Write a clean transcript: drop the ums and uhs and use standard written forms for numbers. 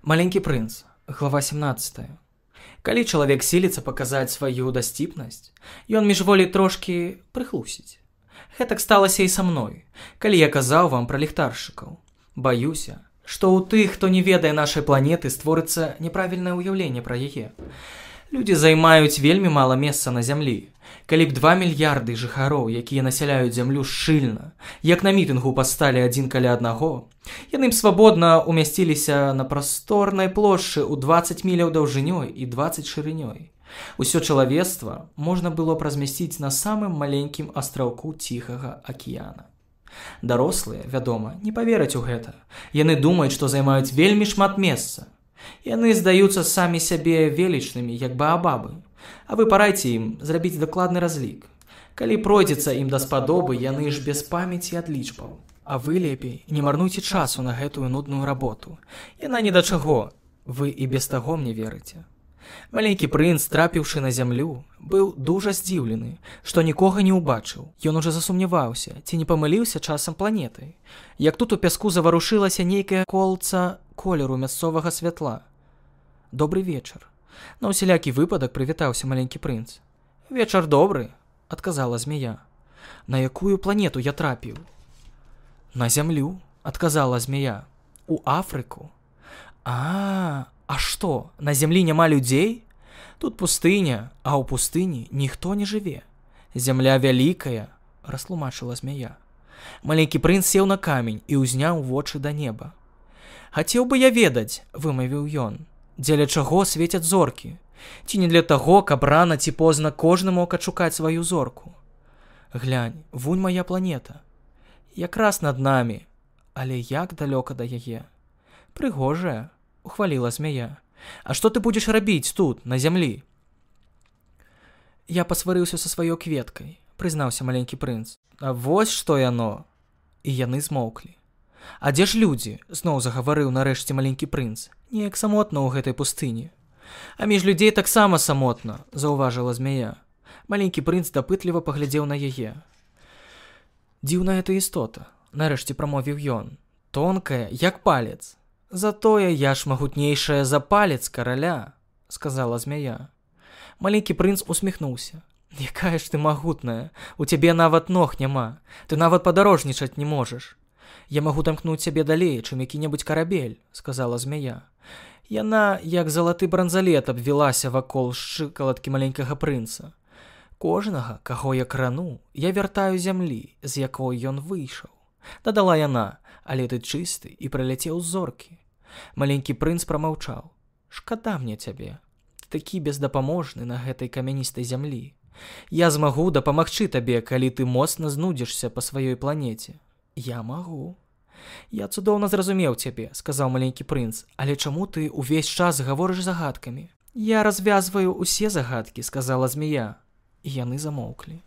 Маленькі прынц, глава 17. Калі чалавек сіліцца паказаць сваю дасціпнасць, ён міжволі трошкі прыхлусіць. Гэтак сталася і са мной, калі я казаў вам пра ліхтаршчыкаў. Баюся, што ў тых, хто не ведае нашай планеты, створыцца няправільнае ўяўленне пра яе. Людзі займаюць вельмі мала месца на зямлі. Калі б 2 мільярды жыхароў, якія насяляюць зямлю шчыльна, як на мітынгу пасталі адзін каля аднаго, яны б свабодна умясціліся на прасторнай плошчы ў 20 міляў даўжынёй і 20 шырынёй. Усё чалавецтва можна было б размясціць на самым маленькім астраўку Ціхага акіяна. Дарослыя, вядома, не павераць у гэта. Яны думаюць, што займаюць вельмі шмат месца. Яны здаюцца самі сябе велічнымі, як баабабы. А вы парайце ім зрабіць дакладны разлік. Калі пройдзецца ім даспадобы, яны ж без памяці ад лічбаў. А вы лепей не марнуйце часу на гэтую нудную работу. Яна ні да чаго. Вы і без таго мне верыце. Маленькі прынц, трапіўшы на зямлю, быў дужа здзіўлены, што нікога не ўбачыў. Ён ужо засумняваўся, ці не памыліўся часам планетай. Як тут у пяску заварушылася нейкае колца колеру мясцовага святла. Добры вечар. На ўсялякі выпадак прывітаўся маленькі прынц. Вечар добры, адказала змея. На якую планету я трапіў? На зямлю, адказала змея. У Афрыку. А што, на зямлі няма людзей? Тут пустыня, а ў пустыні ніхто не жыве. Зямля вялікая, растлумачыла змея. Маленькі прынц сеў на камень і ўзняў вочы да неба. Хацеў бы я ведаць, вымавіў ён, дзеля чаго свецяць зоркі? Ці не для таго, каб рана ці позна кожны мог адшукаць сваю зорку? Глянь, вунь мая планета. Якраз над намі, але як далёка да яе? Прыгожая, ухваліла змея. А што ты будзеш рабіць тут, на зямлі? Я пасварыўся са сваёй кветкай, прызнаўся маленькі прынц. А вось што яно. І яны змоўклі. А дзе ж людзі? Зноў загаварыў нарэшце маленькі прынц. Неяк самотна ў гэтай пустыні. А між людзей таксама самотна, заўважыла змея. Маленькі прынц дапытліва паглядзеў на яе. Дзіўная эта істота, нарэшце прамовіў ён. Тонкая, як палец. Затое я ж магутнейшая за палец караля, сказала змяя. Маленькі прынц усміхнуўся. Якая ж ты магутная, у цябе нават ног няма, ты нават падарожнічаць не можаш. Я магу тамкнуць цябе далей, чым які-небудзь карабель, сказала змяя. Яна, як залаты бранзалет, абвілася вакол шчыкалаткі маленькага прынца. Кожнага, каго я крану, я вяртаю зямлі, з якой ён выйшаў. Дадала яна, але ты чысты і прыляцеў з зоркі. Маленькі прынц прамаўчаў. Шкада мне цябе. Ты такі бездапаможны на гэтай камяністай зямлі. Я змагу дапамагчы табе, калі ты моцна знудзішся па сваёй планеце. Я магу. Я цудоўна зразумеў цябе, сказаў маленькі прынц, але чаму ты ўвесь час гаворыш загадкамі? Я развязваю усе загадкі, сказала змея. І яны замоўклі.